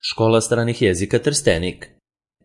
Škola stranih jezika Trstenik.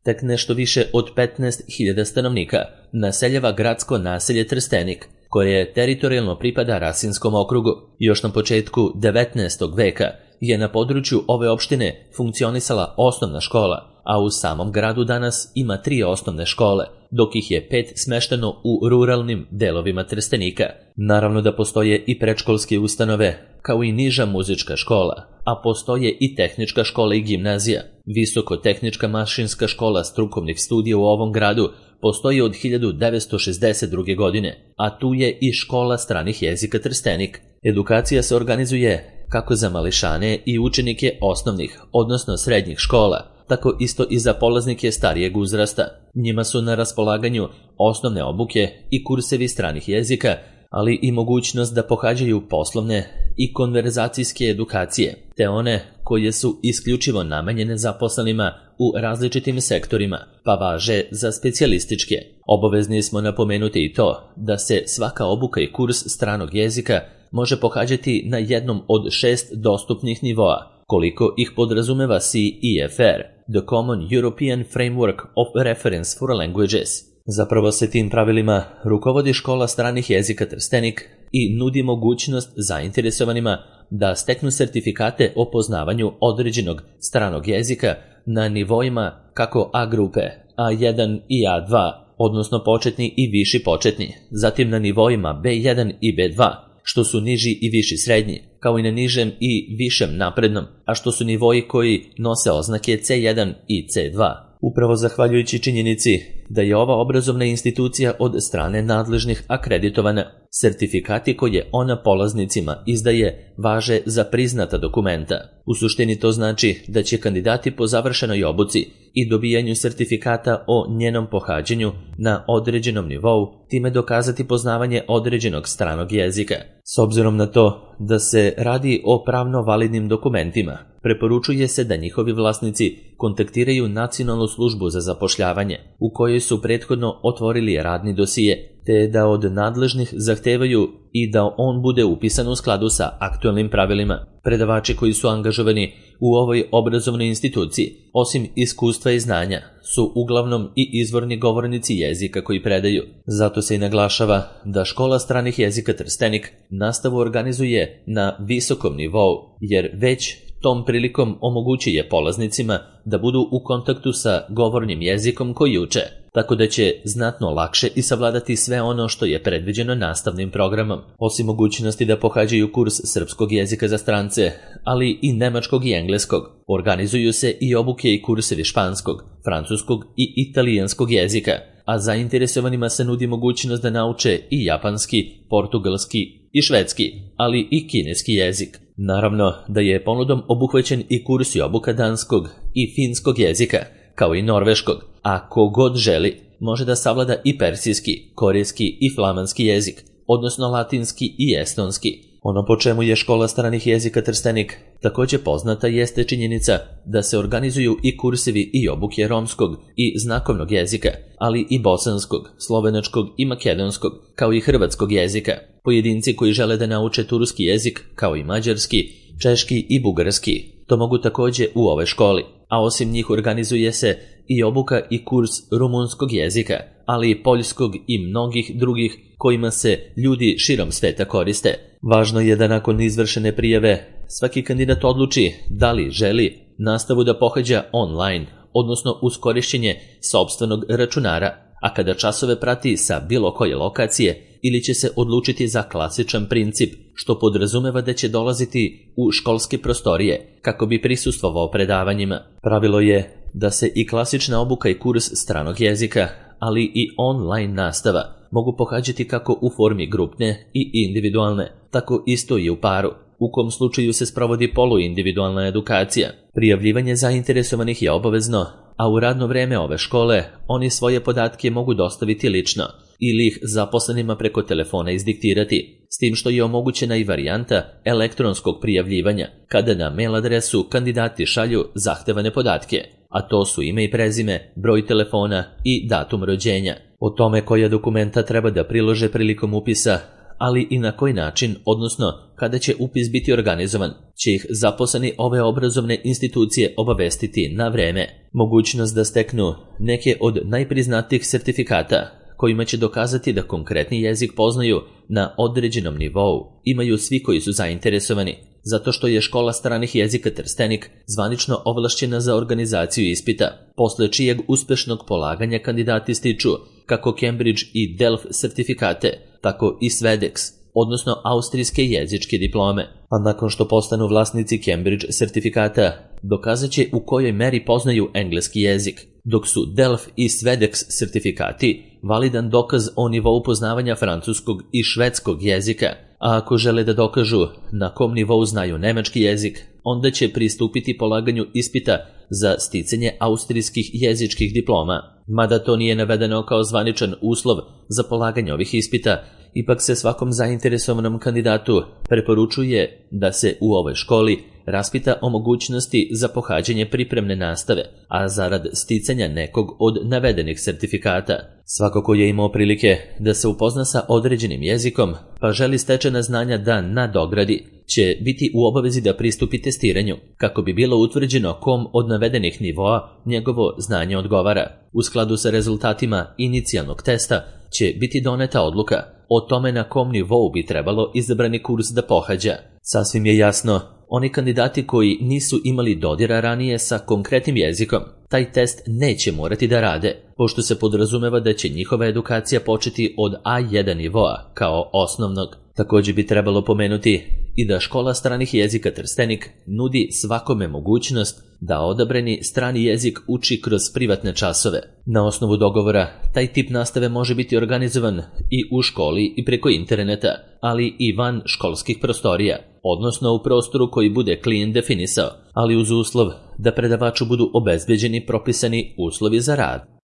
Tek nešto više od 15.000 stanovnika naseljava gradsko naselje Trstenik, koje teritorijalno pripada Rasinskom okrugu. Još na početku 19. veka je na području ove opštine funkcionisala osnovna škola, a u samom gradu danas ima 3 osnovne škole, dok ih je 5 smešteno u ruralnim delovima Trstenika. Naravno da postoje i predškolske ustanove, kao i niža muzička škola, a postoje i tehnička škola i gimnazija. Visoko-tehnička mašinska škola strukovnih studija u ovom gradu postoji od 1962. godine, a tu je i škola stranih jezika Trstenik. Edukacija se organizuje kako za mališane i učenike osnovnih, odnosno srednjih škola, tako isto i za polaznike starijeg uzrasta. Njima su na raspolaganju osnovne obuke i kursevi stranih jezika, ali i mogućnost da pohađaju poslovne i konverzacijske edukacije, te one koje su isključivo namenjene zaposlenima u različitim sektorima, pa važe za specijalističke. Obavezni smo napomenuti i to da se svaka obuka i kurs stranog jezika može pohađati na jednom od 6 dostupnih nivoa, koliko ih podrazumeva CEFR, The Common European Framework of Reference for Languages. Zapravo se tim pravilima rukovodi škola stranih jezika Trstenik i nudi mogućnost zainteresovanima da steknu sertifikate o poznavanju određenog stranog jezika na nivoima kako A grupe, A1 i A2, odnosno početni i viši početni, zatim na nivoima B1 i B2, što su niži i viši srednji, kao i na nižem i višem naprednom, a što su nivoji koji nose oznake C1 i C2. Upravo zahvaljujući činjenici da je ova obrazovna institucija od strane nadležnih akreditovana, sertifikati koje ona polaznicima izdaje važe za priznata dokumenta. U suštini to znači da će kandidati po završenoj obuci i dobijanju sertifikata o njenom pohađanju na određenom nivou time dokazati poznavanje određenog stranog jezika. S obzirom na to da se radi o pravno validnim dokumentima, preporučuje se da njihovi vlasnici kontaktiraju Nacionalnu službu za zapošljavanje, u kojoj su prethodno otvorili radni dosije, te da od nadležnih zahtevaju i da on bude upisan u skladu sa aktualnim pravilima. Predavači koji su angažovani u ovoj obrazovnoj instituciji, osim iskustva i znanja, su uglavnom i izvorni govornici jezika koji predaju. Zato se i naglašava da škola stranih jezika Trstenik nastavu organizuje na visokom nivou, jer već tom prilikom omogućuje polaznicima da budu u kontaktu sa govornim jezikom koji uče, tako da će znatno lakše i savladati sve ono što je predviđeno nastavnim programom. Osim mogućnosti da pohađaju kurs srpskog jezika za strance, ali i nemačkog i engleskog, organizuju se i obuke i kursevi španskog, francuskog i italijanskog jezika, a zainteresovanima se nudi mogućnost da nauče i japanski, portugalski i švedski, ali i kineski jezik. Naravno da je ponudom obuhvaćen i kurs i obuka danskog i finskog jezika, kao i norveškog, a ko god želi može da savlada i persijski, korejski i flamanski jezik, odnosno latinski i estonski. Ono po čemu je škola stranih jezika Trstenik također poznata jeste činjenica da se organizuju i kursevi i obuke romskog i znakovnog jezika, ali i bosanskog, slovenačkog i makedonskog, kao i hrvatskog jezika. Pojedinci koji žele da nauče turski jezik, kao i mađarski, češki i bugarski, to mogu također u ovoj školi, a osim njih organizuje se i obuka i kurs rumunskog jezika, ali i poljskog i mnogih drugih kojima se ljudi širom sveta koriste. Važno je da nakon izvršene prijave svaki kandidat odluči da li želi nastavu da pohađa online, odnosno uz korišćenje sopstvenog računara, a kada časove prati sa bilo koje lokacije, ili će se odlučiti za klasičan princip, što podrazumeva da će dolaziti u školske prostorije kako bi prisustvovao predavanjima. Pravilo je da se i klasična obuka i kurs stranog jezika, ali i online nastava mogu pohađati kako u formi grupne i individualne, tako isto i u paru, u kom slučaju se sprovodi poluindividualna edukacija. Prijavljivanje zainteresovanih je obavezno, a u radno vreme ove škole oni svoje podatke mogu dostaviti lično ili ih zaposlenima preko telefona izdiktirati, s tim što je omogućena i varijanta elektronskog prijavljivanja, kada na mail adresu kandidati šalju zahtevane podatke, a to su ime i prezime, broj telefona i datum rođenja. O tome koja dokumenta treba da prilože prilikom upisa, ali i na koji način, odnosno kada će upis biti organizovan, će ih zaposleni ove obrazovne institucije obavestiti na vreme. Mogućnost da steknu neke od najpriznatijih sertifikata kojima će dokazati da konkretni jezik poznaju na određenom nivou imaju svi koji su zainteresovani, zato što je Škola stranih jezika Trstenik zvanično ovlašćena za organizaciju ispita, posle čijeg uspešnog polaganja kandidati stiču kako Cambridge i Delft sertifikate, tako i Svedex, odnosno austrijske jezičke diplome. A nakon što postanu vlasnici Cambridge sertifikata, dokazat će u kojoj meri poznaju engleski jezik, dok su Delft i Svedex sertifikati validan dokaz o nivou poznavanja francuskog i švedskog jezika, a ako žele da dokažu na kom nivou znaju nemački jezik, onda će pristupiti polaganju ispita za sticanje austrijskih jezičkih diploma. Mada to nije navedeno kao zvaničan uslov za polaganje ovih ispita, ipak se svakom zainteresovanom kandidatu preporučuje da se u ovoj školi raspita o mogućnosti za pohađanje pripremne nastave, a zarad sticanja nekog od navedenih sertifikata. Svako ko je imao prilike da se upozna sa određenim jezikom, pa želi stečena znanja da nadogradi, će biti u obavezi da pristupi testiranju, kako bi bilo utvrđeno kom od navedenih nivoa njegovo znanje odgovara. U skladu sa rezultatima inicijalnog testa će biti doneta odluka o tome na kom nivou bi trebalo izabrani kurs da pohađa. Sasvim je jasno, oni kandidati koji nisu imali dodira ranije sa konkretnim jezikom, taj test neće morati da rade, pošto se podrazumeva da će njihova edukacija početi od A1 nivoa kao osnovnog. Također bi trebalo pomenuti i da Škola stranih jezika Trstenik nudi svakome mogućnost da odabrani strani jezik uči kroz privatne časove. Na osnovu dogovora, taj tip nastave može biti organizovan i u školi i preko interneta, ali i van školskih prostorija, odnosno u prostoru koji bude klijent definisao, ali uz uslov da predavaču budu obezbeđeni propisani uslovi za rad.